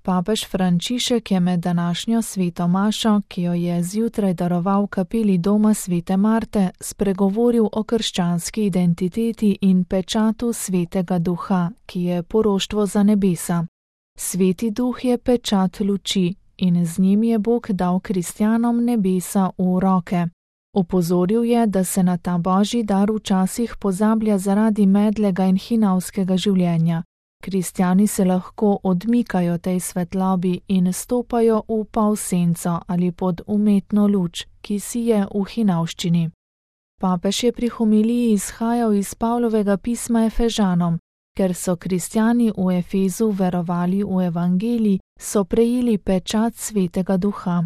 Papež Frančišek je med današnjo sveto mašo, ki jo je zjutraj daroval v kapeli doma svete Marte, spregovoril o krščanski identiteti in pečatu svetega duha, ki je poroštvo za nebesa. Sveti duh je pečat luči in z njim je Bog dal kristjanom nebesa v roke. Opozoril je, da se na ta božji dar včasih pozablja zaradi medlega in hinavskega življenja. Kristjani se lahko odmikajo tej svetlobi in stopajo v polsenco ali pod umetno luč, ki sije v hinavščini. Papež je pri homiliji izhajal iz Pavlovega pisma Efežanom. Ker so kristjani v Efezu verovali v evangelij, so prejeli pečat svetega duha.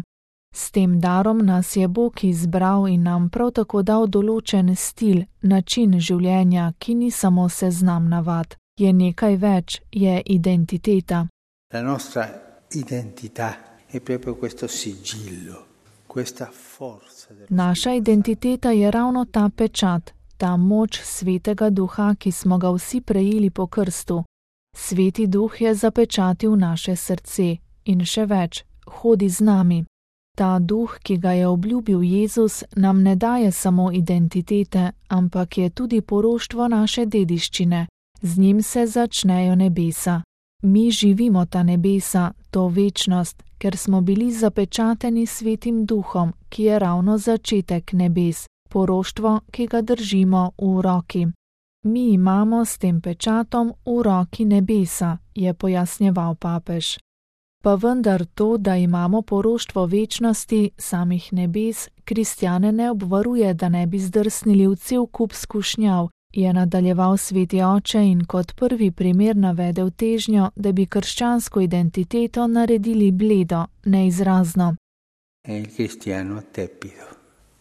S tem darom nas je Bog izbral in nam prav tako dal določen stil, način življenja, ki ni samo seznam navad. Je nekaj več, je identiteta. La nostra identità è proprio questo sigillo, questa forza. Naša identiteta je ravno ta pečat, ta moč svetega duha, ki smo ga vsi prejeli po krstu. Sveti duh je zapečatil naše srce in še več, hodi z nami. Ta duh, ki ga je obljubil Jezus, nam ne daje samo identitete, ampak je tudi poroštvo naše dediščine. Z njim se začnejo nebesa. Mi živimo ta nebesa, to večnost, ker smo bili zapečateni svetim duhom, ki je ravno začetek nebes, poroštvo, ki ga držimo v roki. Mi imamo s tem pečatom v roki nebesa, je pojasnjeval papež. Pa vendar to, da imamo poroštvo večnosti, samih nebes, kristjane ne obvaruje, da ne bi zdrsnili v cel kup skušnjav, je nadaljeval sveti oče in kot prvi primer navedel težnjo, da bi krščansko identiteto naredili bledo, neizrazno. È il cristiano tepido.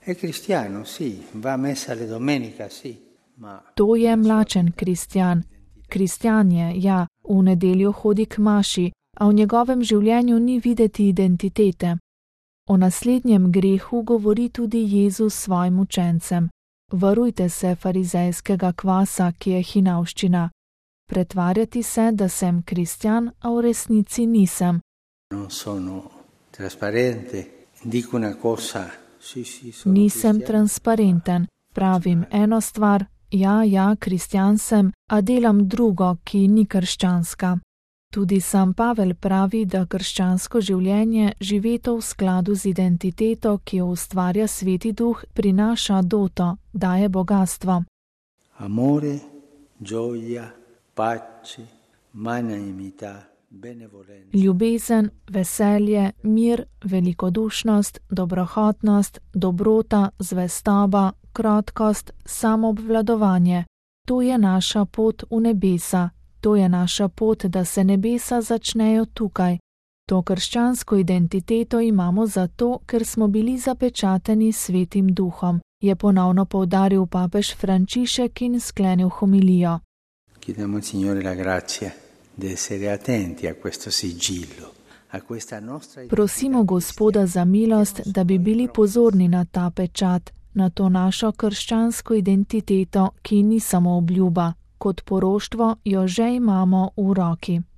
È cristiano, sì, va a messa le domenica, sì, ma... To je mlačen kristjan. Kristjan je, ja, v nedeljo hodi k maši, a v njegovem življenju ni videti identitete. O naslednjem grehu govori tudi Jezus svojim učencem. Varujte se farizejskega kvasa, ki je hinavščina. Pretvarjati se, da sem kristjan, a v resnici nisem. Nisem transparenten. Pravim eno stvar, ja, kristjan sem, a delam drugo, ki ni krščanska. Tudi sam Pavel pravi, da krščansko življenje, živeto v skladu z identiteto, ki jo ustvarja sveti duh, prinaša doto, daje bogastvo. Amore, gioia, pace, magnanimità, benevolenza. Ljubezen, veselje, mir, velikodušnost, dobrohotnost, dobrota, zvestoba, krotkost, samoobvladovanje. To je naša pot v nebesa. To je naša pot, da se nebesa začnejo tukaj. To krščansko identiteto imamo zato, ker smo bili zapečateni svetim duhom, je ponovno poudaril papež Frančišek in sklenil homilijo. Chiediamo al Signore la grazia di essere attenti a questo sigillo, a questa nostra... Prosimo Gospoda za milost, da bi bili pozorni na ta pečat, na to našo krščansko identiteto, ki ni samo obljuba. Kot poroštvo jo že imamo v roki.